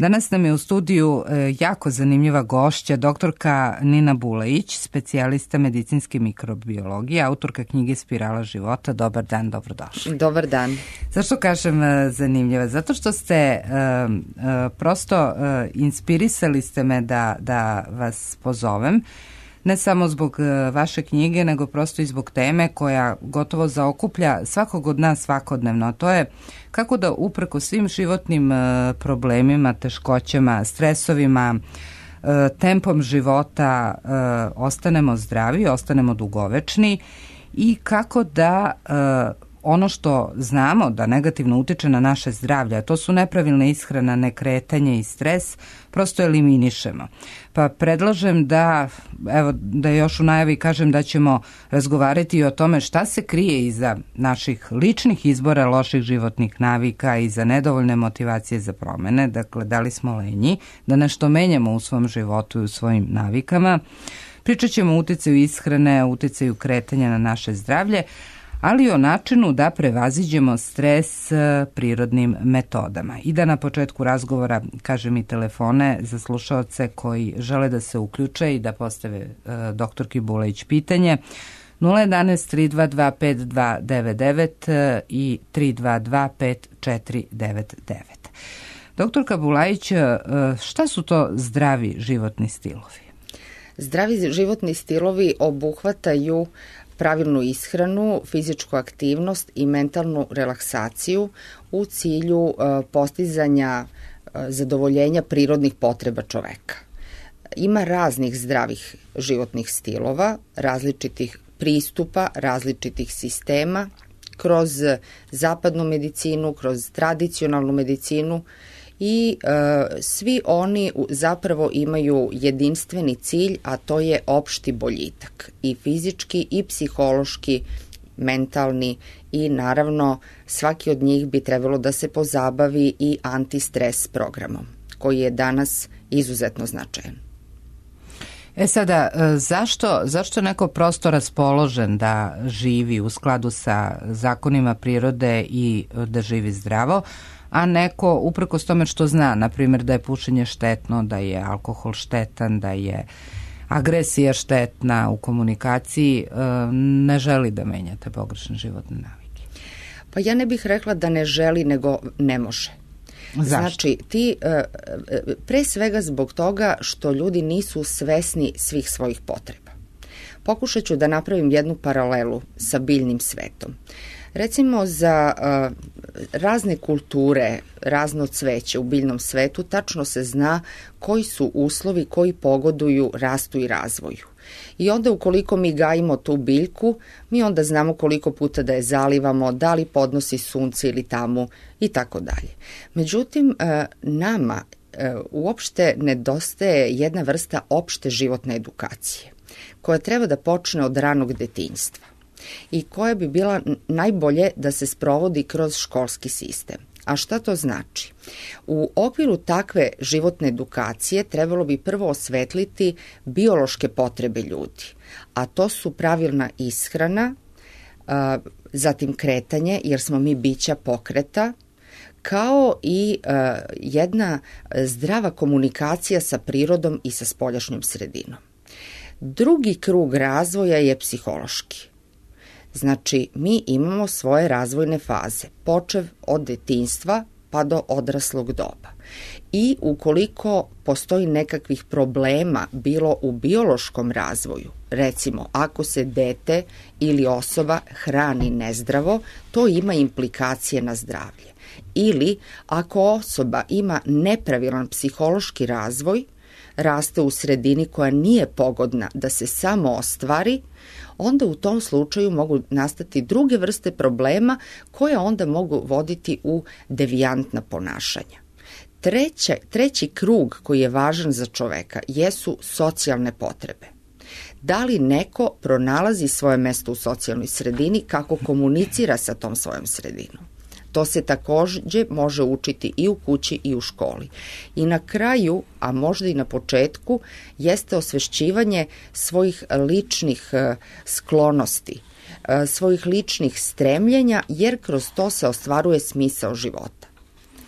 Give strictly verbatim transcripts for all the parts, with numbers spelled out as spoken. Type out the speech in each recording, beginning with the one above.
Danas nam je u studiju jako zanimljiva gošća, doktorka Nina Bulajić, specijalista medicinske mikrobiologije, autorka knjige Spirala života. Dobar dan, dobrodošli. Dobar dan. Zašto kažem zanimljiva? Zato što ste uh, uh, prosto uh, inspirisali ste me da, da vas pozovem, ne samo zbog uh, vaše knjige, nego prosto i zbog teme koja gotovo zaokuplja svakog od nas svakodnevno, a to je kako da upreko svim životnim uh, problemima, teškoćama, stresovima, uh, tempom života uh, ostanemo zdravi, ostanemo dugovečni i kako da uh, ono što znamo da negativno utiče na naše zdravlje, a to su nepravilna ishrana, nekretanje i stres, prosto eliminišemo. Pa predlažem da, evo, da još u najavi kažem da ćemo razgovarati o tome šta se krije iza naših ličnih izbora loših životnih navika i za nedovoljne motivacije za promene. Dakle, da li smo lenji, da nešto menjamo u svom životu i u svojim navikama. Pričat ćemo o uticaju ishrane, o uticaju kretanja na naše zdravlje, ali o načinu da prevaziđemo stres prirodnim metodama. I da na početku razgovora kažem i telefone za slušaoce koji žele da se uključe i da postave uh, doktorki Bulajić pitanje. nula jedanaest tri dva dva pet dva devet devet i tri dva dva pet četiri devet devet. Doktorka Bulajić, uh, šta su to zdravi životni stilovi? Zdravi životni stilovi obuhvataju pravilnu ishranu, fizičku aktivnost i mentalnu relaksaciju u cilju uh, postizanja uh, zadovoljenja prirodnih potreba čoveka. Ima raznih zdravih životnih stilova, različitih pristupa, različitih sistema, kroz zapadnu medicinu, kroz tradicionalnu medicinu i e, svi oni zapravo imaju jedinstveni cilj, a to je opšti boljitak i fizički i psihološki, mentalni i naravno svaki od njih bi trebalo da se pozabavi i antistres programom koji je danas izuzetno značajan. E sada, zašto, zašto neko prosto raspoložen da živi u skladu sa zakonima prirode i da živi zdravo, a neko uprkos tome što zna, na primjer da je pušenje štetno, da je alkohol štetan, da je agresija štetna u komunikaciji, ne želi da menja te pogrešne životne navike? Pa ja ne bih rekla da ne želi, nego ne može. Zašto? Znači, ti, pre svega zbog toga što ljudi nisu svesni svih svojih potreba. Pokušat ću da napravim jednu paralelu sa biljnim svetom. Recimo za uh, razne kulture, razno cveće u biljnom svetu, tačno se zna koji su uslovi koji pogoduju rastu i razvoju. I onda ukoliko mi gajimo tu biljku, mi onda znamo koliko puta da je zalivamo, da li podnosi sunce ili tamu i tako dalje. Međutim, uh, nama uh, uopšte nedostaje jedna vrsta opšte životne edukacije, koja treba da počne od ranog detinjstva i koja bi bila najbolje da se sprovodi kroz školski sistem. A šta to znači? U okviru takve životne edukacije trebalo bi prvo osvetliti biološke potrebe ljudi, a to su pravilna ishrana, zatim kretanje, jer smo mi bića pokreta, kao i jedna zdrava komunikacija sa prirodom i sa spoljašnjom sredinom. Drugi krug razvoja je psihološki. Znači, mi imamo svoje razvojne faze, počev od detinjstva pa do odraslog doba. I ukoliko postoji nekakvih problema bilo u biološkom razvoju, recimo ako se dete ili osoba hrani nezdravo, to ima implikacije na zdravlje. Ili ako osoba ima nepravilan psihološki razvoj, raste u sredini koja nije pogodna da se samo ostvari, onda u tom slučaju mogu nastati druge vrste problema koje onda mogu voditi u devijantna ponašanja. Treće, treći krug koji je važan za čoveka jesu socijalne potrebe. Da li neko pronalazi svoje mesto u socijalnoj sredini, kako komunicira sa tom svojom sredinom? To se takođe može učiti i u kući i u školi. I na kraju, a možda i na početku, jeste osvešćivanje svojih ličnih sklonosti, svojih ličnih stremljenja, jer kroz to se ostvaruje smisao života.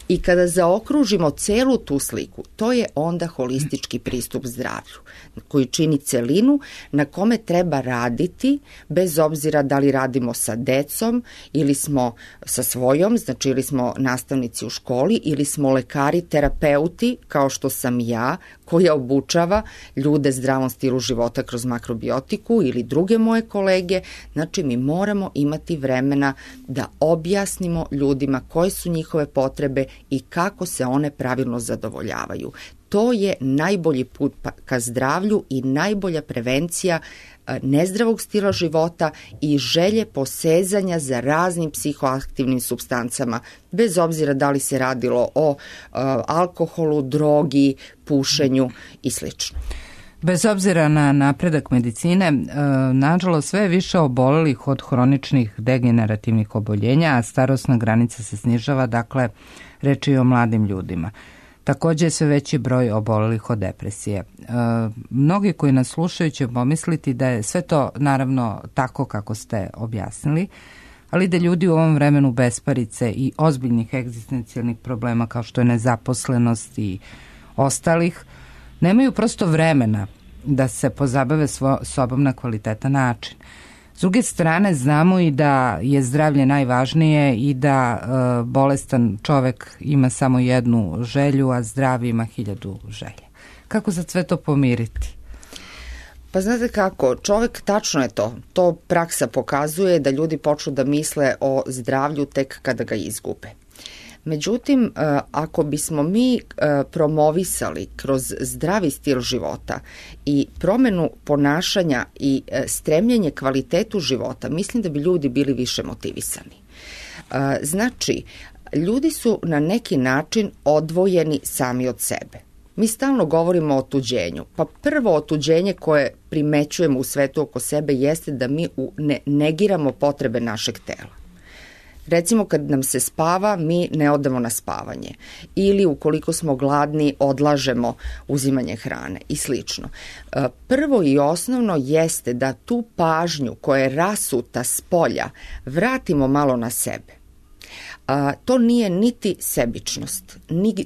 I kada zaokružimo celu tu sliku, to je onda holistički pristup zdravlju, koji čini celinu na kome treba raditi, bez obzira da li radimo sa decom ili smo sa svojom, znači ili smo nastavnici u školi ili smo lekari, terapeuti, kao što sam ja, koja obučava ljude zdravom stilu života kroz makrobiotiku ili druge moje kolege. Znači mi moramo imati vremena da objasnimo ljudima koje su njihove potrebe i kako se one pravilno zadovoljavaju. To je najbolji put ka zdravlju i najbolja prevencija nezdravog stila života i želje posezanja za raznim psihoaktivnim supstancama, bez obzira da li se radilo o uh, alkoholu, drogi, pušenju i slično. Bez obzira na napredak medicine, nažalost sve je više obolelih od hroničnih degenerativnih oboljenja, a starosna granica se snižava, dakle reč je o mladim ljudima. Također je sve veći broj obolelih od depresije. E, mnogi koji nas slušaju će pomisliti da je sve to naravno tako kako ste objasnili, ali da ljudi u ovom vremenu besparice i ozbiljnih egzistencijalnih problema kao što je nezaposlenost i ostalih, nemaju prosto vremena da se pozabave svo, sobom na kvalitetan način. S druge strane, znamo i da je zdravlje najvažnije i da e, bolestan čovek ima samo jednu želju, a zdravi ima hiljadu želja. Kako za sve to pomiriti? Pa znate kako, čovek, tačno je to. To praksa pokazuje da ljudi počnu da misle o zdravlju tek kada ga izgube. Međutim, ako bismo mi promovisali kroz zdravi stil života i promenu ponašanja i stremljenje kvalitetu života, mislim da bi ljudi bili više motivisani. Znači, ljudi su na neki način odvojeni sami od sebe. Mi stalno govorimo o otuđenju. Pa prvo otuđenje koje primećujemo u svetu oko sebe jeste da mi ne negiramo potrebe našeg tela. Recimo kad nam se spava, mi ne odemo na spavanje. Ili ukoliko smo gladni, odlažemo uzimanje hrane i slično. Prvo i osnovno jeste da tu pažnju koja je rasuta s polja vratimo malo na sebe. A, to nije niti sebičnost,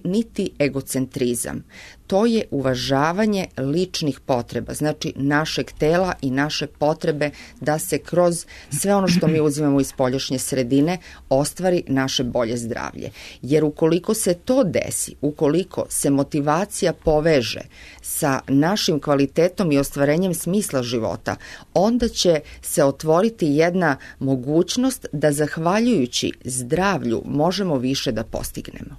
niti egocentrizam. To je uvažavanje ličnih potreba, znači našeg tela i naše potrebe da se kroz sve ono što mi uzimamo iz spoljašnje sredine ostvari naše bolje zdravlje. Jer ukoliko se to desi, ukoliko se motivacija poveže sa našim kvalitetom i ostvarenjem smisla života, onda će se otvoriti jedna mogućnost da zahvaljujući zdravlju možemo više da postignemo.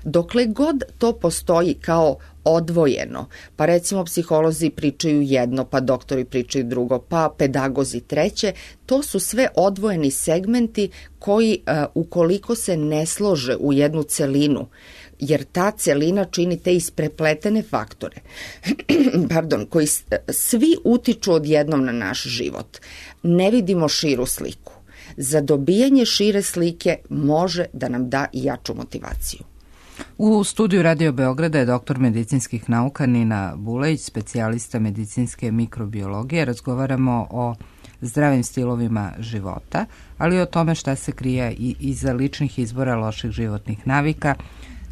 Dokle god to postoji kao odvojeno, pa recimo psiholozi pričaju jedno, pa doktori pričaju drugo, pa pedagozi treće, to su sve odvojeni segmenti koji ukoliko se ne slože u jednu celinu, jer ta celina čini te isprepletene faktore, pardon, koji svi utiču odjednom na naš život, ne vidimo širu sliku. Za dobijanje šire slike može da nam da i jaču motivaciju. U studiju Radio Beograda je doktor medicinskih nauka Nina Bulajić, specijalista medicinske mikrobiologije. Razgovaramo o zdravim stilovima života, ali i o tome šta se krije i iza ličnih izbora loših životnih navika.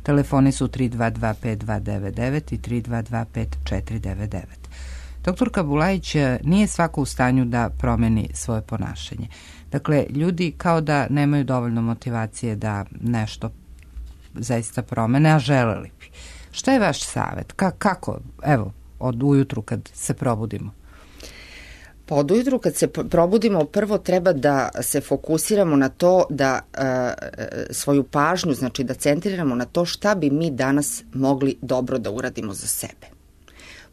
Telefoni su tri dva dva pet dva devet devet i tri dva dva pet četiri devet devet. Doktorka Bulajić, nije svako u stanju da promeni svoje ponašanje. Dakle, ljudi kao da nemaju dovoljno motivacije da nešto zaista promene, a želeli bi. Šta je vaš savjet? Ka- kako, evo, od ujutru kad se probudimo? Pa od ujutru kad se probudimo, prvo treba da se fokusiramo na to da e, svoju pažnju, znači da centriramo na to šta bi mi danas mogli dobro da uradimo za sebe.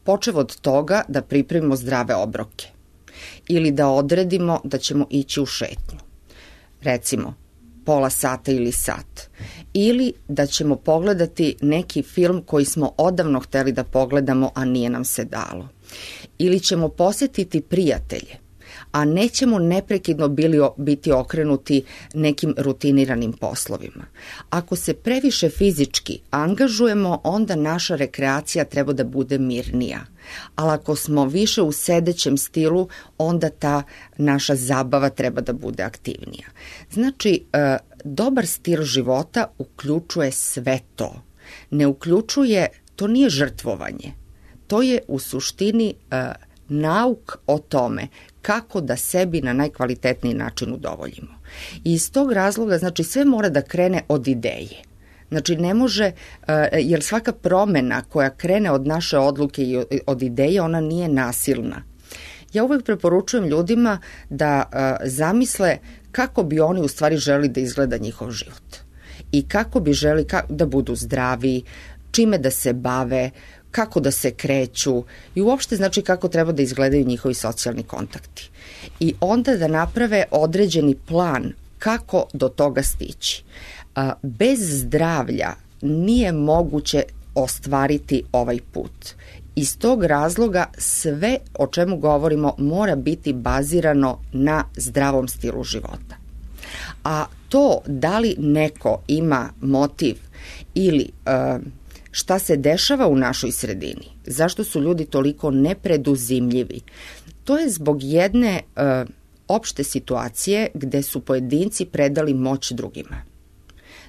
Počev od toga da pripremimo zdrave obroke ili da odredimo da ćemo ići u šetnju. Recimo, pola sata ili sat. Ili da ćemo pogledati neki film koji smo odavno hteli da pogledamo, a nije nam se dalo. Ili ćemo posjetiti prijatelje. a nećemo neprekidno bili, biti okrenuti nekim rutiniranim poslovima. Ako se previše fizički angažujemo, onda naša rekreacija treba da bude mirnija. Ali ako smo više u sedećem stilu, onda ta naša zabava treba da bude aktivnija. Znači, dobar stil života uključuje sve to. Ne uključuje, to nije žrtvovanje. To je u suštini nauk o tome kako da sebi na najkvalitetniji način udovoljimo. I iz tog razloga, znači, sve mora da krene od ideje. Znači, ne može, jer svaka promena koja krene od naše odluke i od ideje, ona nije nasilna. Ja uvek preporučujem ljudima da zamisle kako bi oni u stvari želi da izgleda njihov život. I kako bi želi da budu zdravi, čime da se bave, kako da se kreću i uopšte znači kako treba da izgledaju njihovi socijalni kontakti. I onda da naprave određeni plan kako do toga stići. Bez zdravlja nije moguće ostvariti ovaj put. Iz tog razloga sve o čemu govorimo mora biti bazirano na zdravom stilu života. A to da li neko ima motiv ili uh, šta se dešava u našoj sredini, zašto su ljudi toliko nepreduzimljivi, to je zbog jedne uh, opšte situacije gde su pojedinci predali moć drugima.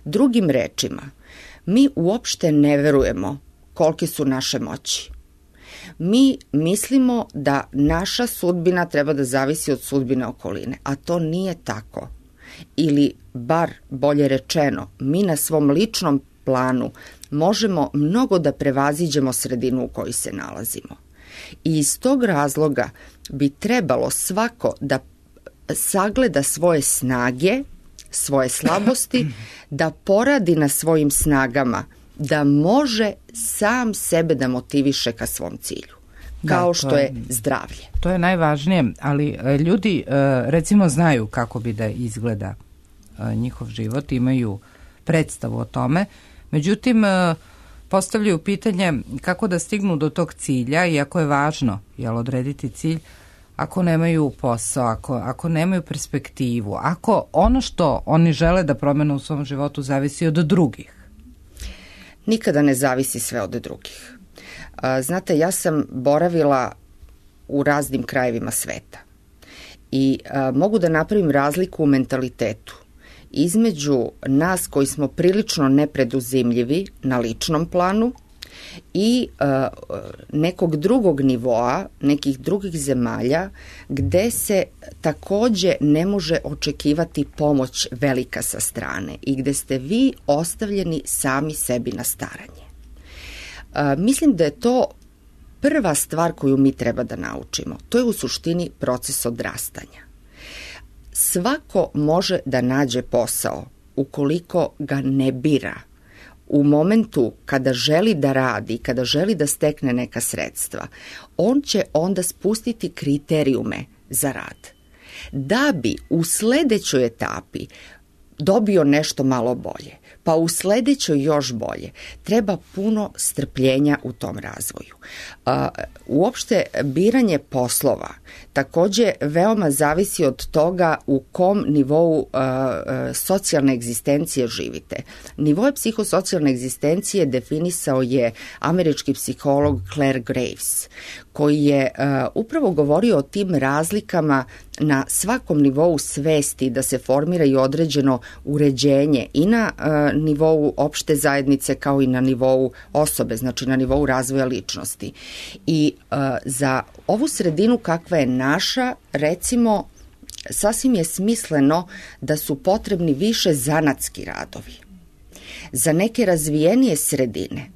Drugim rečima, mi uopšte ne verujemo kolike su naše moći. Mi mislimo da naša sudbina treba da zavisi od sudbine okoline, a to nije tako. Ili, bar bolje rečeno, mi na svom ličnom planu možemo mnogo da prevaziđemo sredinu u kojoj se nalazimo. I iz tog razloga bi trebalo svako da sagleda svoje snage, svoje slabosti, da poradi na svojim snagama, da može sam sebe da motiviše ka svom cilju, kao da, što je, je zdravlje. To je najvažnije, ali ljudi recimo znaju kako bi da izgleda njihov život, imaju predstavu o tome, međutim postavljaju pitanje kako da stignu do tog cilja, iako je važno jel, odrediti cilj, ako nemaju posao, ako, ako nemaju perspektivu, ako ono što oni žele da promene u svom životu zavisi od drugih. Nikada ne zavisi sve od drugih. Znate, ja sam boravila u raznim krajevima sveta i mogu da napravim razliku u mentalitetu između nas koji smo prilično nepreduzimljivi na ličnom planu i uh, nekog drugog nivoa, nekih drugih zemalja gde se takođe ne može očekivati pomoć velika sa strane i gde ste vi ostavljeni sami sebi na staranje. Uh, mislim da je to prva stvar koju mi treba da naučimo. To je u suštini proces odrastanja. Svako može da nađe posao ukoliko ga ne bira. U momentu kada želi da radi, kada želi da stekne neka sredstva, on će onda spustiti kriterijume za rad. Da bi u sledećoj etapi dobio nešto malo bolje, pa u sledećoj još bolje, treba puno strpljenja u tom razvoju. Uh, uopšte biranje poslova takođe veoma zavisi od toga u kom nivou uh, socijalne egzistencije živite. Nivoje psihosocijalne egzistencije definisao je američki psiholog Claire Graves, koji je uh, upravo govorio o tim razlikama na svakom nivou svesti da se formira i određeno uređenje i na uh, nivou opšte zajednice kao i na nivou osobe, znači na nivou razvoja ličnosti. I uh, za ovu sredinu kakva je naša, recimo, sasvim je smisleno da su potrebni više zanatski radovi. Za neke razvijenije sredine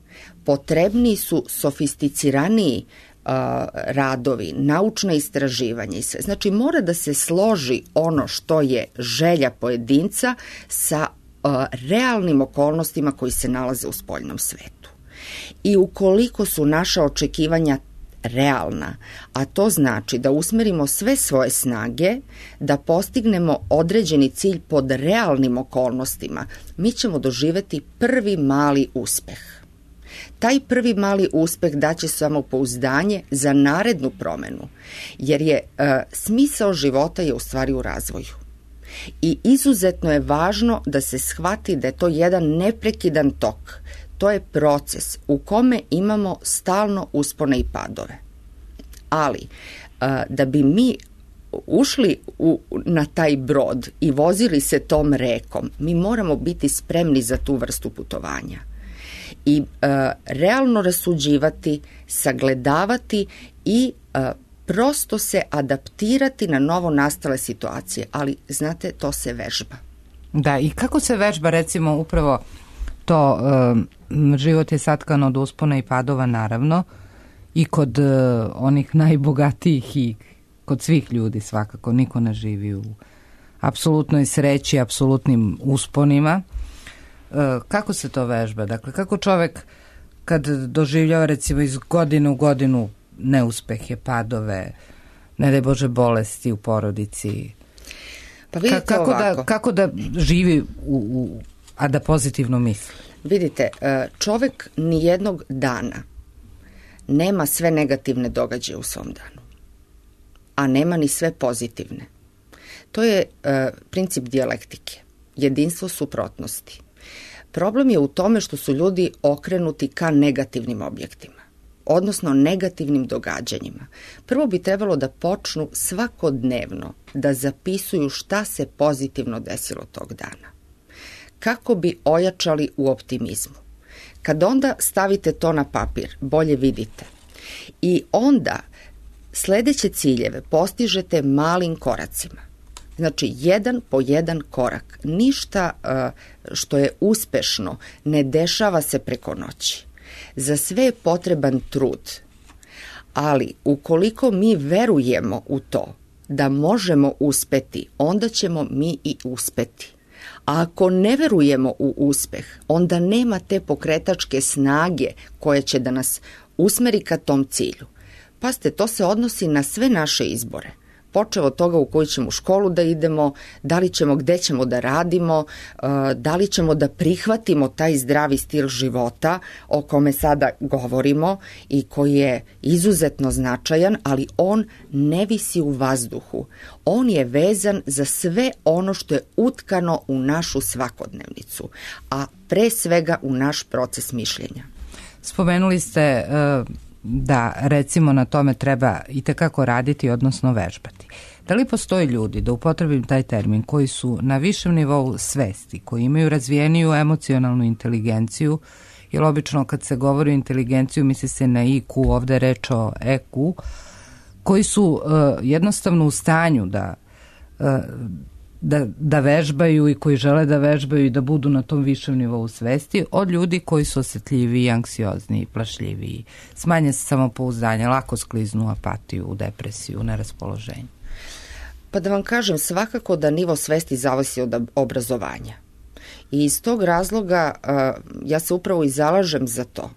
potrebni su sofisticiraniji uh, radovi, naučna istraživanja i sve. Znači mora da se složi ono što je želja pojedinca sa uh, realnim okolnostima koji se nalaze u spoljnom svetu. I ukoliko su naša očekivanja realna, a to znači da usmerimo sve svoje snage, da postignemo određeni cilj pod realnim okolnostima, mi ćemo doživeti prvi mali uspeh. Taj prvi mali uspeh daće samopouzdanje za narednu promenu, jer je uh, smisao života je u stvari u razvoju. I izuzetno je važno da se shvati da je to jedan neprekidan tok. To je proces u kome imamo stalno uspone i padove. Ali, uh, da bi mi ušli u, na taj brod i vozili se tom rekom, mi moramo biti spremni za tu vrstu putovanja. I uh, realno rasuđivati, sagledavati i uh, prosto se adaptirati na novo nastale situacije, ali znate, to se vežba. Da, i kako se vežba recimo upravo to, um, život je satkan od uspona i padova naravno i kod uh, onih najbogatijih i kod svih ljudi svakako, niko ne živi u apsolutnoj sreći, apsolutnim usponima. Uh, kako se to vežba? Dakle, kako čovek kad doživljava recimo iz godine u godinu neuspehe, padove, ne daj Bože bolesti u porodici. Pa vidite Ka- kako, ovako. da, kako da živi, u, u, a da pozitivno misli? Vidite, čovek nijednog dana nema sve negativne događaje u svom danu, a nema ni sve pozitivne. To je princip dijalektike, jedinstvo suprotnosti. Problem je u tome što su ljudi okrenuti ka negativnim objektima, odnosno negativnim događanjima. Prvo bi trebalo da počnu svakodnevno da zapisuju šta se pozitivno desilo tog dana, kako bi ojačali u optimizmu. Kad onda stavite to na papir, bolje vidite. I onda sledeće ciljeve postižete malim koracima. Znači, jedan po jedan korak. Ništa uh, što je uspešno ne dešava se preko noći. Za sve je potreban trud, ali ukoliko mi verujemo u to da možemo uspeti, onda ćemo mi i uspeti. A ako ne verujemo u uspeh, onda nema te pokretačke snage koja će da nas usmeri ka tom cilju. Pazite, to se odnosi na sve naše izbore. Počeo od toga u koju ćemo školu da idemo, da li ćemo, gde ćemo da radimo, da li ćemo da prihvatimo taj zdravi stil života o kome sada govorimo i koji je izuzetno značajan, ali on ne visi u vazduhu. On je vezan za sve ono što je utkano u našu svakodnevnicu, a pre svega u naš proces mišljenja. Spomenuli ste uh... da recimo na tome treba i tekako raditi, odnosno vežbati. Da li postoji ljudi, da upotrebim taj termin, koji su na višem nivou svesti, koji imaju razvijeniju emocionalnu inteligenciju, jer obično kad se govori o inteligenciju misli se na I Q, ovde je reč o E Q, koji su uh, jednostavno u stanju da uh, Da, da vežbaju i koji žele da vežbaju i da budu na tom višem nivou svesti od ljudi koji su osetljiviji, anksiozniji, plašljiviji, smanje se samopouzdanje, lako skliznu u apatiju, u depresiju, u neraspoloženju. Pa da vam kažem, svakako da nivo svesti zavisi od obrazovanja. I iz tog razloga uh, ja se upravo i zalažem za to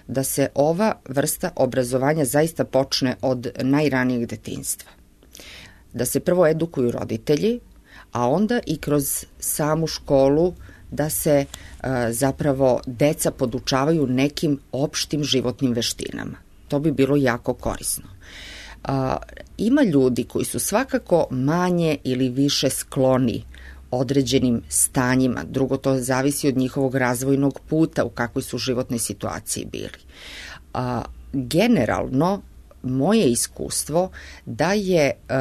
da se ova vrsta obrazovanja zaista počne od najranijeg detinjstva. Da se prvo edukuju roditelji, a onda i kroz samu školu da se uh, zapravo deca podučavaju nekim opštim životnim veštinama. To bi bilo jako korisno. Uh, ima ljudi koji su svakako manje ili više skloni određenim stanjima. Drugo, to zavisi od njihovog razvojnog puta, u kakvoj su životnoj situaciji bili. Uh, generalno, moje iskustvo da je uh,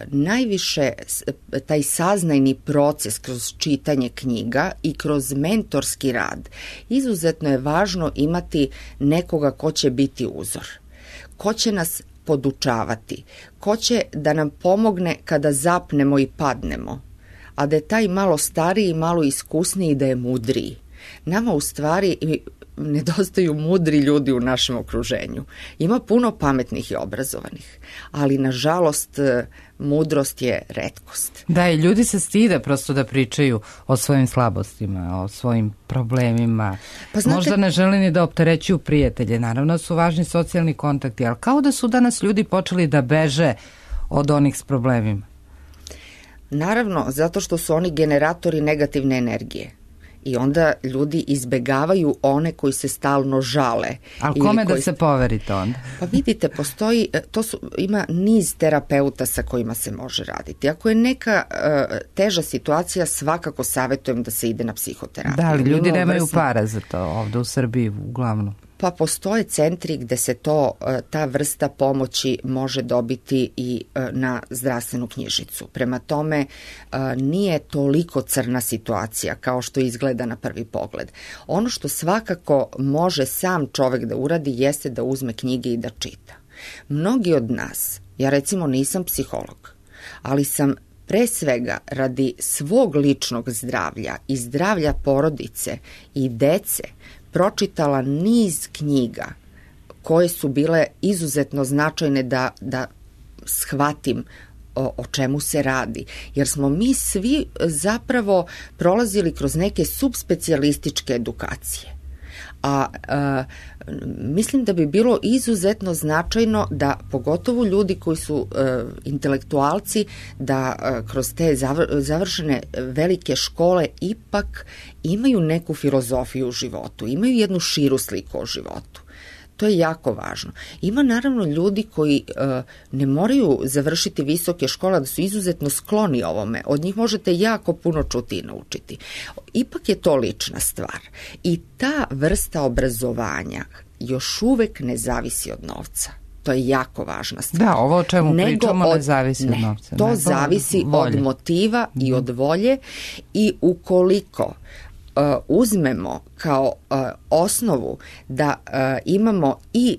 najviše taj saznajni proces kroz čitanje knjiga i kroz mentorski rad. Izuzetno je važno imati nekoga ko će biti uzor, ko će nas podučavati, ko će da nam pomogne kada zapnemo i padnemo, a da je taj malo stariji i malo iskusniji i da je mudriji. Nama u stvari nedostaju mudri ljudi u našem okruženju. Ima puno pametnih i obrazovanih, ali nažalost mudrost je retkost. Da, i ljudi se stide prosto da pričaju o svojim slabostima, o svojim problemima. Pa znate, možda ne žele ni da opterećuju prijatelje. Naravno su važni socijalni kontakti, ali kao da su danas ljudi počeli da beže od onih s problemima. Naravno, zato što su oni generatori negativne energije. I onda ljudi izbegavaju one koji se stalno žale. Ali kome koji... da se poverite onda? Pa vidite, postoji, to su, ima niz terapeuta sa kojima se može raditi. Ako je neka uh, teža situacija, svakako savjetujem da se ide na psihoterapiju. Da, ali ljudi nemaju vrsno... para za to ovde u Srbiji uglavnom. Pa postoje centri gde se to, ta vrsta pomoći može dobiti i na zdravstvenu knjižicu. Prema tome, nije toliko crna situacija kao što izgleda na prvi pogled. Ono što svakako može sam čovek da uradi jeste da uzme knjige i da čita. Mnogi od nas, ja recimo nisam psiholog, ali sam pre svega radi svog ličnog zdravlja i zdravlja porodice i dece pročitala niz knjiga koje su bile izuzetno značajne da, da shvatim o, o čemu se radi. Jer smo mi svi zapravo prolazili kroz neke subspecijalističke edukacije. A, a mislim da bi bilo izuzetno značajno da pogotovo ljudi koji su a, intelektualci da a, kroz te završene velike škole ipak imaju neku filozofiju u životu, imaju jednu širu sliku o životu. To je jako važno. Ima naravno ljudi koji uh, ne moraju završiti visoke škole, da su izuzetno skloni ovome. Od njih možete jako puno čuti i naučiti. Ipak je to lična stvar. I ta vrsta obrazovanja još uvek ne zavisi od novca. To je jako važna stvar. Da, ovo o čemu Nego pričamo od, ne zavisi ne, od novca. To zavisi od motiva mm. i od volje i ukoliko Uh, uzmemo kao uh, osnovu da uh, imamo i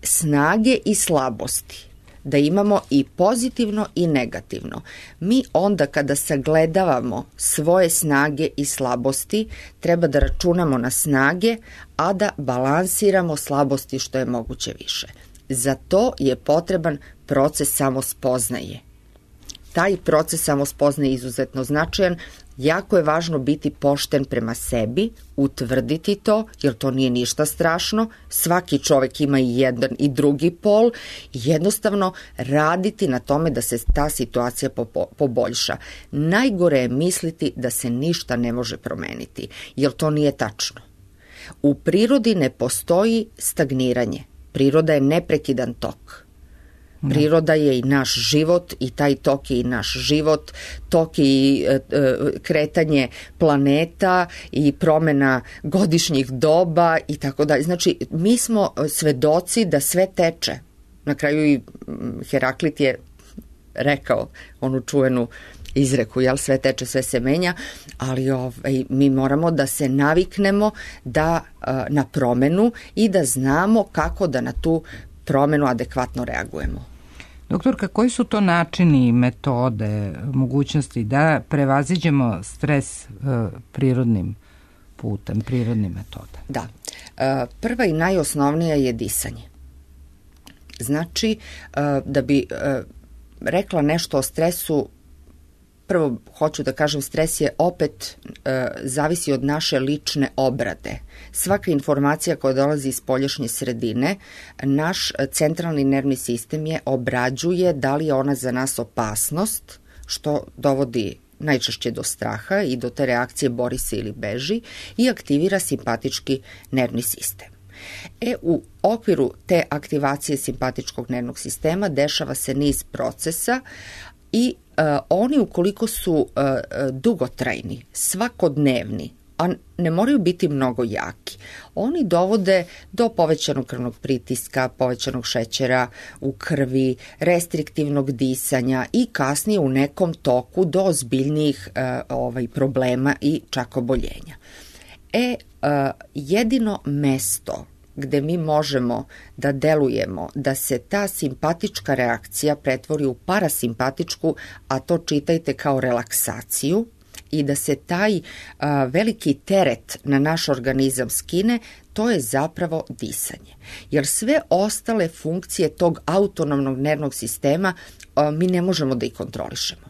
snage i slabosti, da imamo i pozitivno i negativno. Mi onda kada sagledavamo svoje snage i slabosti, treba da računamo na snage, a da balansiramo slabosti što je moguće više. Za to je potreban proces samospoznaje. Taj proces samospoznaje je izuzetno značajan. Jako je važno biti pošten prema sebi, utvrditi to, jer to nije ništa strašno. Svaki čovek ima i jedan i drugi pol. Jednostavno raditi na tome da se ta situacija poboljša. Najgore je misliti da se ništa ne može promeniti, jer to nije tačno. U prirodi ne postoji stagniranje. Priroda je neprekidan tok. Priroda je i naš život i taj tok je i naš život, tok je i e, kretanje planeta i promena godišnjih doba i tako dalje. Znači, mi smo svedoci da sve teče. Na kraju i Heraklit je rekao onu čuvenu izreku, jel, sve teče, sve se menja, ali ovaj, mi moramo da se naviknemo da, na promenu i da znamo kako da na tu promenu adekvatno reagujemo. Doktorka, koji su to načini, metode, mogućnosti da prevaziđemo stres uh, prirodnim putem, prirodnim metodama? Da. Uh, prva i najosnovnija je disanje. Znači, uh, da bi uh, rekla nešto o stresu, prvo hoću da kažem, stres je opet e, zavisi od naše lične obrade. Svaka informacija koja dolazi iz spoljašnje sredine, naš centralni nervni sistem je obrađuje da li je ona za nas opasnost, što dovodi najčešće do straha i do te reakcije bori se ili beži, i aktivira simpatički nervni sistem. E, u okviru te aktivacije simpatičkog nervnog sistema dešava se niz procesa i uh, oni ukoliko su uh, dugotrajni, svakodnevni, a ne moraju biti mnogo jaki, oni dovode do povećanog krvnog pritiska, povećanog šećera u krvi, restriktivnog disanja i kasnije u nekom toku do ozbiljnijih uh, ovaj, problema i čak oboljenja. E, uh, jedino mesto gde mi možemo da delujemo, da se ta simpatička reakcija pretvori u parasimpatičku, a to čitajte kao relaksaciju, i da se taj a, veliki teret na naš organizam skine, to je zapravo disanje. Jer sve ostale funkcije tog autonomnog nervnog sistema a, mi ne možemo da ih kontrolišemo.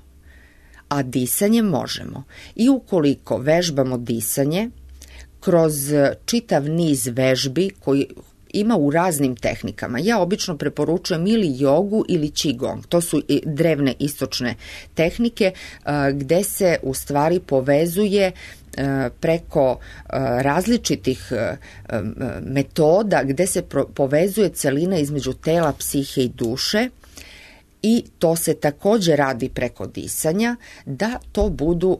A disanje možemo. I ukoliko vežbamo disanje, kroz čitav niz vežbi koji ima u raznim tehnikama. Ja obično preporučujem ili jogu ili qigong. To su drevne istočne tehnike gde se u stvari povezuje preko različitih metoda gde se povezuje celina između tela, psihe i duše, i to se takođe radi preko disanja, da to budu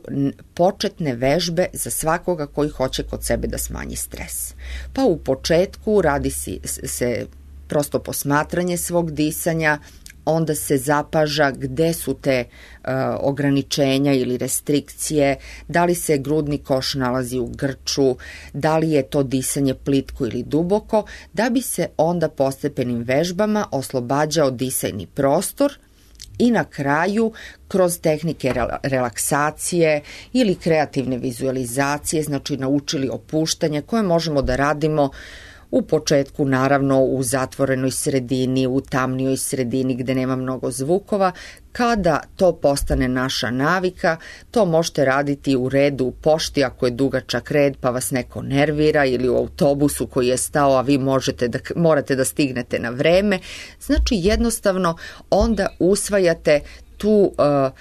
početne vežbe za svakoga koji hoće kod sebe da smanji stres. Pa u početku radi se prosto posmatranje svog disanja, onda se zapaža gde su te uh, ograničenja ili restrikcije, da li se grudni koš nalazi u grču, da li je to disanje plitko ili duboko, da bi se onda postepenim vežbama oslobađao disajni prostor i na kraju kroz tehnike relaksacije ili kreativne vizualizacije, znači naučili opuštanje koje možemo da radimo u početku naravno u zatvorenoj sredini, u tamnijoj sredini gde nema mnogo zvukova. Kada to postane naša navika, to možete raditi u redu u pošti ako je dugačak red pa vas neko nervira, ili u autobusu koji je stao a vi možete da, morate da stignete na vreme. Znači jednostavno onda usvajate tu uh, uh,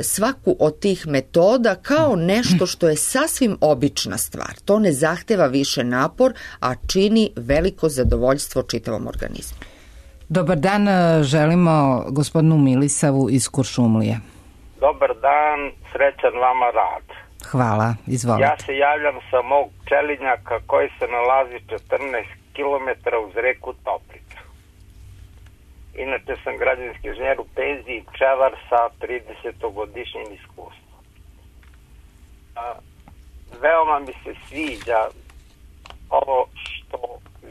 svaku od tih metoda kao nešto što je sasvim obična stvar. To ne zahteva više napor, a čini veliko zadovoljstvo čitavom organizmu. Dobar dan, želimo gospodinu Milisavu iz Kuršumlije. Dobar dan, srećan vama rad. Hvala, izvolite. Ja se javljam sa mog Pčelinjaka koji se nalazi četrnaest kilometara uz reku Toplicu. Inače sam građevinski inženjer u penziji, pčelar sa tridesetogodišnjim iskustvom. A, veoma mi se sviđa ovo što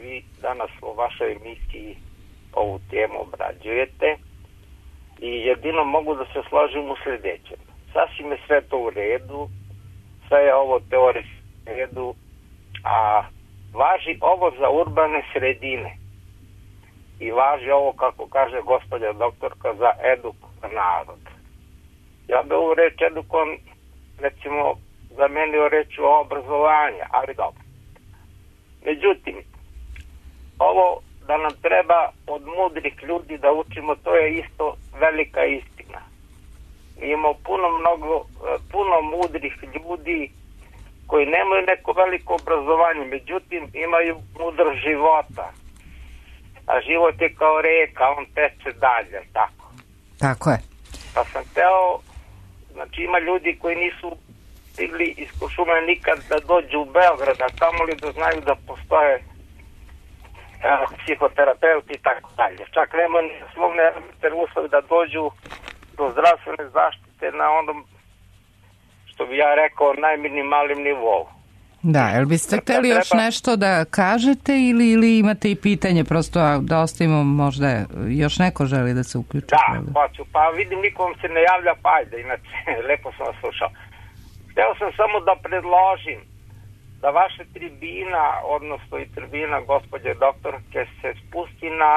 vi danas u vašoj emisiji ovu temu obrađujete i jedino mogu da se složim u sljedećem. Sasvim je sve to u redu, sve je ovo teorijski u redu, a važi ovo za urbane sredine. I važi ovo, kako kaže gospođa doktorka, za edukovan narod. Ja bi ovu reč edukovan, recimo, zamenio reću o obrazovanje, ali dobro. Međutim, ovo da nam treba od mudrih ljudi da učimo, to je isto velika istina. Mi imamo puno, mnogo, puno mudrih ljudi koji nemaju neko veliko obrazovanje, međutim imaju mudrost života. A život je kao reka, on teče dalje, tako? Tako je. Pa sam teo, znači ima ljudi koji nisu stigli iz Kuršumlije nikad da dođu u Beograd, a kamoli da znaju da postoje a, psihoterapeuti i tako dalje. Čak nema ni slovne uslovi da dođu do zdravstvene zaštite na onom, što bi ja rekao, najminimalnim nivou. Da, jel biste hteli još treba... nešto da kažete ili, ili imate i pitanje, prosto da ostavimo, možda još neko želi da se uključi? Da, hoću, pa vidim nikom se ne javlja, pa ajde, inače, lepo sam vas slušao. Hteo sam samo da predložim da vaša tribina, odnosno i tribina gospođe doktorke, se spusti na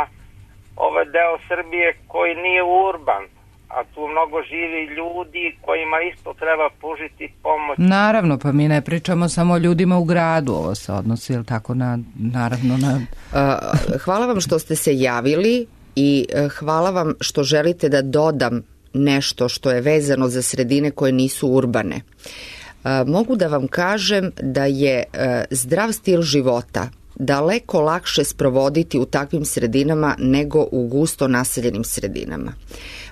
ovaj deo Srbije koji nije urban, a tu mnogo živi ljudi kojima isto treba pružiti pomoć. Naravno, pa mi ne pričamo samo o ljudima u gradu, ovo se odnosi, jel tako, na, naravno na... Hvala vam što ste se javili i hvala vam što želite da dodam nešto što je vezano za sredine koje nisu urbane. Mogu da vam kažem da je zdrav stil života daleko lakše sprovoditi u takvim sredinama nego u gusto naseljenim sredinama.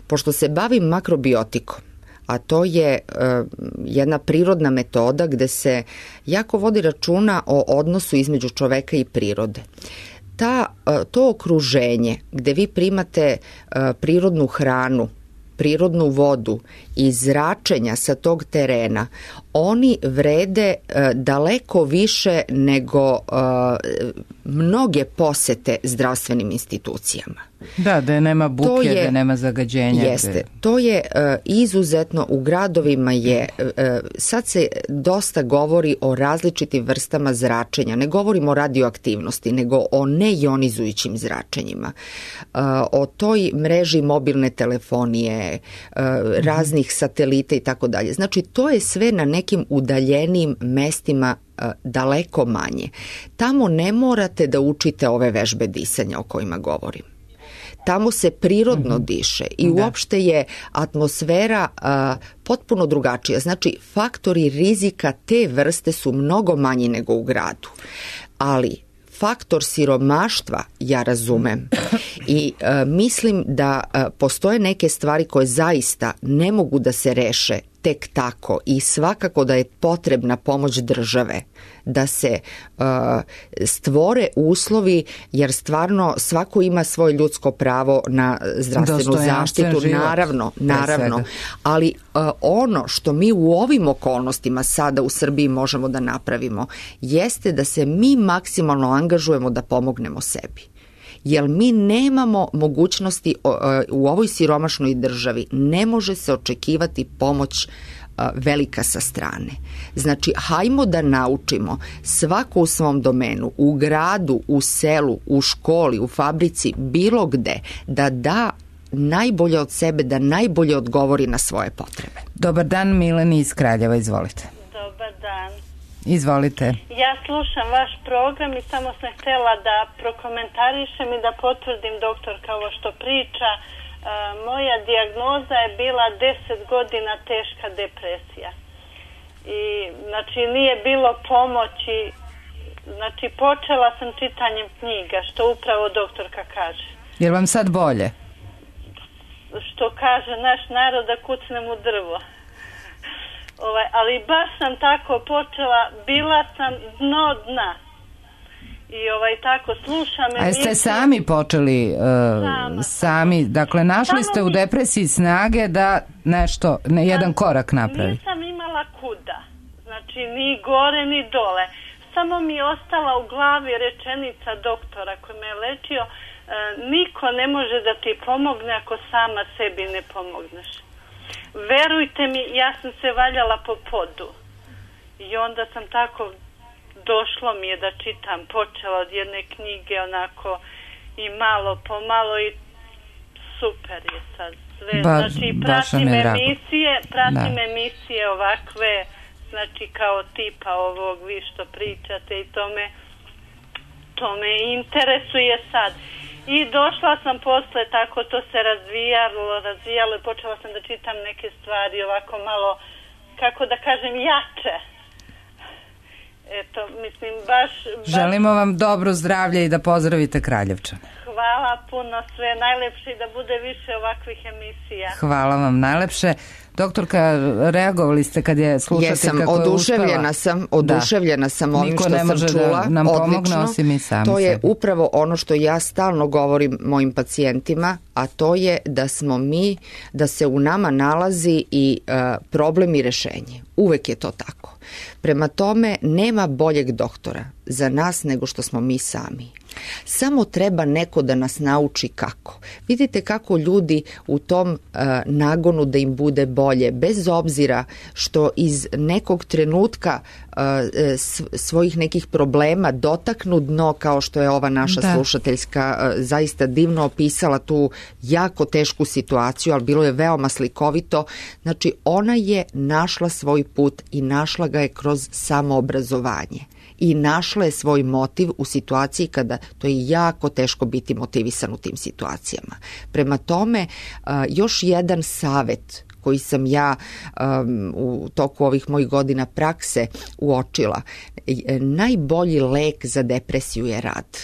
Pošto se bavim makrobiotikom, a to je uh, jedna prirodna metoda gde se jako vodi računa o odnosu između čoveka i prirode. Ta, uh, to okruženje gde vi primate uh, prirodnu hranu, prirodnu vodu i zračenja sa tog terena, oni vrede uh, daleko više nego uh, mnoge posete zdravstvenim institucijama. Da, da nema buke, je, da nema zagađenja. Jeste, gde... to je uh, izuzetno, u gradovima je, uh, sad se dosta govori o različitim vrstama zračenja, ne govorimo o radioaktivnosti, nego o neionizujućim zračenjima, uh, o toj mreži mobilne telefonije, uh, raznih satelita i tako dalje. Znači, to je sve na nekim udaljenim mestima uh, daleko manje. Tamo ne morate da učite ove vežbe disanja o kojima govorim. tamo se prirodno mm-hmm. diše i da. Uopšte je atmosfera a, potpuno drugačija. Znači, faktori rizika te vrste su mnogo manji nego u gradu. Ali faktor siromaštva ja razumem i e, mislim da e, postoje neke stvari koje zaista ne mogu da se reše tek tako i svakako da je potrebna pomoć države da se uh, stvore uslovi, jer stvarno svako ima svoje ljudsko pravo na zdravstvenu zaštitu, život, naravno, naravno, ali uh, ono što mi u ovim okolnostima sada u Srbiji možemo da napravimo jeste da se mi maksimalno angažujemo da pomognemo sebi. Jer mi nemamo mogućnosti u ovoj siromašnoj državi, ne može se očekivati pomoć velika sa strane. Znači, hajmo da naučimo svako u svom domenu, u gradu, u selu, u školi, u fabrici, bilo gde, da da najbolje od sebe, da najbolje odgovori na svoje potrebe. Dobar dan, Mileni iz Kraljeva, izvolite. Dobar dan. Izvolite. Ja slušam vaš program i samo sam htjela da prokomentarišem i da potvrdim doktorka ovo što priča. E, moja dijagnoza je bila deset godina teška depresija. I znači nije bilo pomoći. Znači počela sam čitanjem knjiga, što upravo doktorka kaže. Je li vam sad bolje? Što kaže naš narod, da kucnem u drvo. Ovaj, ali baš sam tako počela, bila sam dno dna. I ovaj, tako slušam. A jeste sami počeli, uh, sami, dakle našli Samo ste u depresiji snage da nešto, ne, jedan korak napravi? Nisam imala kuda, znači ni gore ni dole. Samo mi je ostala u glavi rečenica doktora koji me je lečio, uh, niko ne može da ti pomogne ako sama sebi ne pomogneš. Verujte mi, ja sam se valjala po podu i onda sam tako, došlo mi je da čitam, počela od jedne knjige onako i malo po malo i super je sad sve. Ba, znači pratim emisije, pratim da. emisije ovakve, znači kao tipa ovog vi što pričate i to me, to me interesuje sad. I došla sam posle, tako to se razvijalo, razvijalo i počela sam da čitam neke stvari ovako malo, kako da kažem, jače. Eto, mislim, baš... baš... Želimo vam dobro zdravlje i da pozdravite Kraljevčane. Hvala puno, sve najlepše i da bude više ovakvih emisija. Hvala vam najlepše. Doktorka, reagovali ste kad je slušateljka Jesam, koja je oduševljena uspela? sam, oduševljena da. sam ovim Niko što sam čula. Da nam pomogne osim mi sami to je sebi. Upravo ono što ja stalno govorim mojim pacijentima, a to je da smo mi, da se u nama nalazi i uh, problem i rešenje. Uvek je to tako. Prema tome, nema boljeg doktora za nas nego što smo mi sami. Samo treba neko da nas nauči kako. Vidite kako ljudi u tom uh, nagonu da im bude bolje, bez obzira što iz nekog trenutka uh, svojih nekih problema dotaknu dno, kao što je ova naša da. slušateljska uh, zaista divno opisala tu jako tešku situaciju, ali bilo je veoma slikovito. Znači, ona je našla svoj put i našla ga je kroz samoobrazovanje. I našla je svoj motiv u situaciji kada to je jako teško biti motivisan u tim situacijama. Prema tome, još jedan savet koji sam ja um, u toku ovih mojih godina prakse uočila, najbolji lek za depresiju je rad.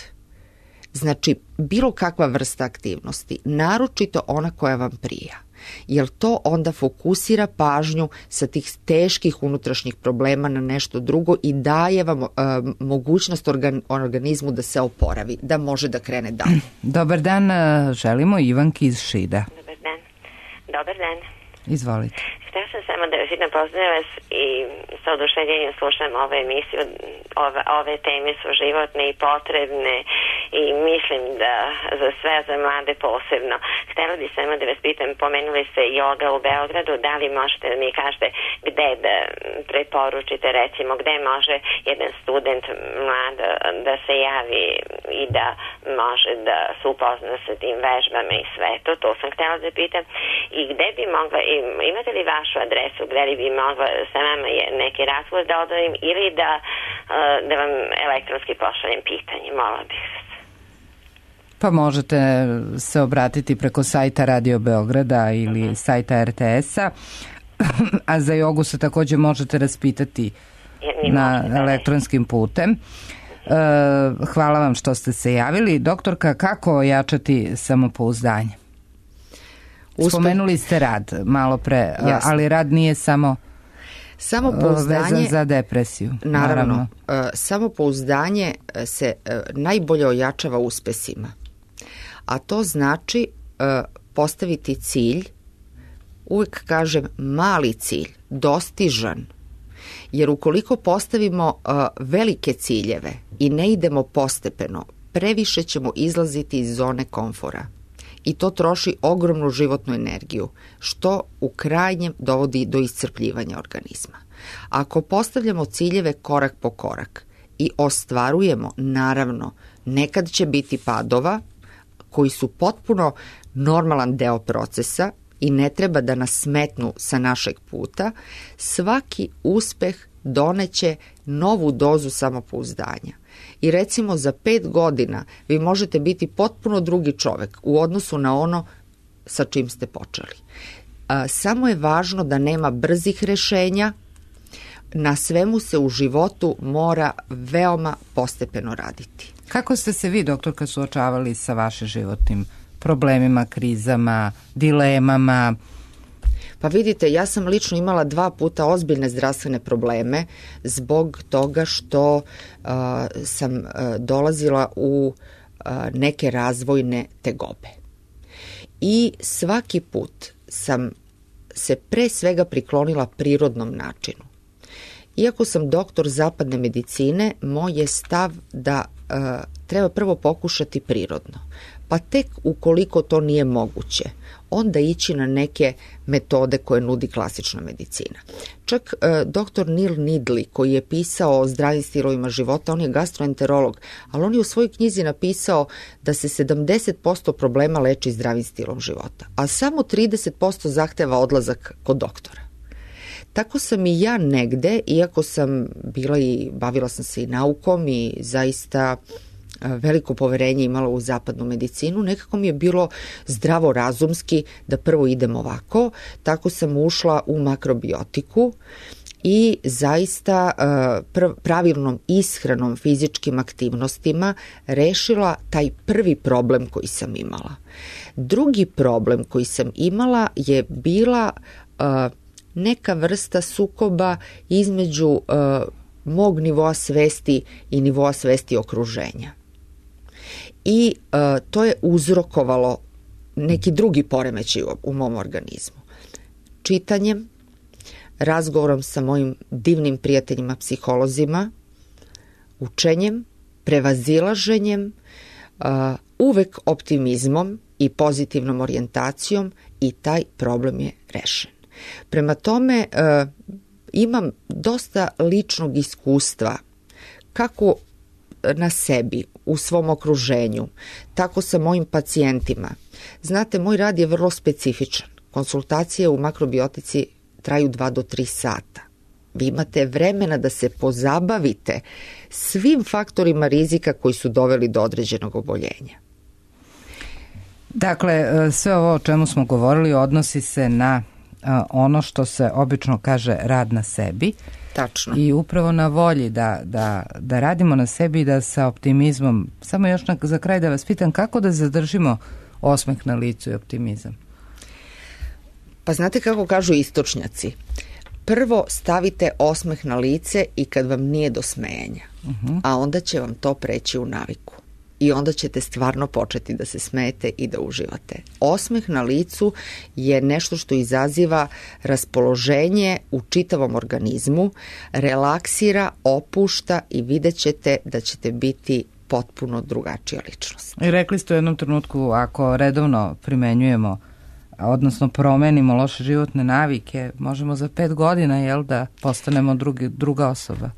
Znači, bilo kakva vrsta aktivnosti, naročito ona koja vam prija. Jer to onda fokusira pažnju sa tih teških unutrašnjih problema na nešto drugo i daje vam uh, mogućnost organ, organizmu da se oporavi, da može da krene dalje. Dobar dan, želimo Ivanki iz Šida. Dobar dan. Dobar dan. Izvolite. Htio sam samo da vas jedno pozdravim vas i sa oduševljenjem slušam ovu emisiju. Ove, ove teme su životne i potrebne i mislim da za sve, za mlade posebno. Htjela bi samo da vas pitam, pomenuli ste joga u Beogradu, da li možete da mi kažete gde da preporučite, recimo gde može jedan student mlad da se javi i da može da se upozna sa tim vežbama i sve to, to sam htjela da pitam. I gde bi mogla, imate li vašu adresu gde li bi mogla sa vama neki razgovor da odavim ili da, da vam elektronski pošaljem pitanje, mola bih vas. Pa možete se obratiti preko sajta Radio Beograda ili sajta er te es-a, a za jogu se također možete raspitati na elektronskim putem. Hvala vam što ste se javili. Doktorka, kako ojačati samopouzdanje? Uspeh. Spomenuli ste rad malo pre, Jasne. ali rad nije samo samopouzdanje vezan za depresiju. Naravno, naravno. Samopouzdanje se najbolje ojačava uspesima. A to znači postaviti cilj, uvijek kažem mali cilj, dostižan. Jer ukoliko postavimo uh, velike ciljeve i ne idemo postepeno, previše ćemo izlaziti iz zone komfora. I to troši ogromnu životnu energiju, što u krajnjem dovodi do iscrpljivanja organizma. Ako postavljamo ciljeve korak po korak i ostvarujemo, naravno, nekad će biti padova koji su potpuno normalan deo procesa, i ne treba da nas smetnu sa našeg puta, svaki uspeh doneće novu dozu samopouzdanja. I recimo za pet godina vi možete biti potpuno drugi čovek u odnosu na ono sa čim ste počeli. A, samo je važno da nema brzih rešenja, na svemu se u životu mora veoma postepeno raditi. Kako ste se vi, doktorka, suočavali sa vašim životnim problemima, krizama, dilemama? Pa vidite, ja sam lično imala dva puta ozbiljne zdravstvene probleme zbog toga što uh, sam uh, dolazila u uh, neke razvojne tegobe. I svaki put sam se pre svega priklonila prirodnom načinu. Iako sam doktor zapadne medicine, moj je stav da uh, treba prvo pokušati prirodno. Pa tek ukoliko to nije moguće, onda ići na neke metode koje nudi klasična medicina. Čak e, doktor Neil Needley, koji je pisao o zdravim stilovima života, on je gastroenterolog, ali on je u svojoj knjizi napisao da se sedamdeset posto problema leči zdravim stilom života, a samo trideset posto zahteva odlazak kod doktora. Tako sam i ja negde, iako sam bila i bavila sam se i naukom i zaista veliko poverenje imala u zapadnu medicinu, nekako mi je bilo zdravorazumski da prvo idem ovako, tako sam ušla u makrobiotiku i zaista pravilnom ishranom, fizičkim aktivnostima rešila taj prvi problem koji sam imala. Drugi problem koji sam imala je bila neka vrsta sukoba između mog nivoa svesti i nivoa svesti okruženja. I uh, to je uzrokovalo neki drugi poremećaj u, u mom organizmu. Čitanjem, razgovorom sa mojim divnim prijateljima psiholozima, učenjem, prevazilaženjem, uh, uvek optimizmom i pozitivnom orijentacijom i taj problem je rešen. Prema tome, uh, imam dosta ličnog iskustva kako na sebi, u svom okruženju, tako sa mojim pacijentima. Znate, moj rad je vrlo specifičan. Konsultacije u makrobiotici traju dva do tri sata. Vi imate vremena da se pozabavite svim faktorima rizika koji su doveli do određenog oboljenja. Dakle, sve ovo o čemu smo govorili odnosi se na ono što se obično kaže rad na sebi. Tačno. I upravo na volji da, da, da radimo na sebi i da sa optimizmom, samo još na, za kraj da vas pitam, kako da zadržimo osmeh na licu i optimizam? Pa znate kako kažu istočnjaci, prvo stavite osmeh na lice i kad vam nije do smejanja, uh-huh. a onda će vam to preći u naviku. I onda ćete stvarno početi da se smejete i da uživate. Osmeh na licu je nešto što izaziva raspoloženje u čitavom organizmu, relaksira, opušta i vidjet ćete da ćete biti potpuno drugačija ličnost. I rekli ste u jednom trenutku, ako redovno primenjujemo, odnosno promenimo loše životne navike, možemo za pet godina, jel, da postanemo drugi, druga osoba.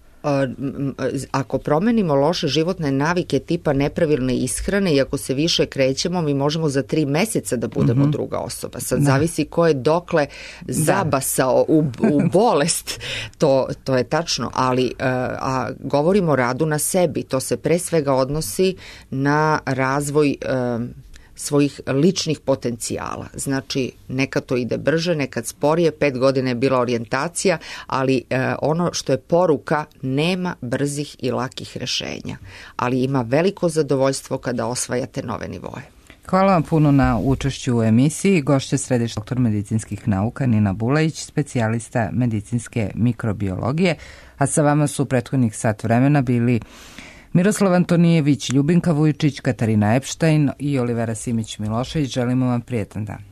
ako promenimo loše životne navike tipa nepravilne ishrane i ako se više krećemo, mi možemo za tri meseca da budemo mm-hmm. druga osoba. Sad da. Zavisi ko je dokle zabasao u, u bolest, to, to je tačno, ali a, govorimo o radu na sebi. To se pre svega odnosi na razvoj a, svojih ličnih potencijala. Znači, nekad to ide brže, nekad sporije, pet godina je bila orijentacija, ali e, ono što je poruka, nema brzih i lakih rešenja, ali ima veliko zadovoljstvo kada osvajate nove nivoe. Hvala vam puno na učešću u emisiji. Gošća središnji doktor medicinskih nauka Nina Bulajić, specijalista medicinske mikrobiologije, a sa vama su u prethodnih sat vremena bili Miroslav Antonijević, Ljubinka Vujčić, Katarina Epštajn i Olivera Simić-Milošević. Želimo vam prijetan dan.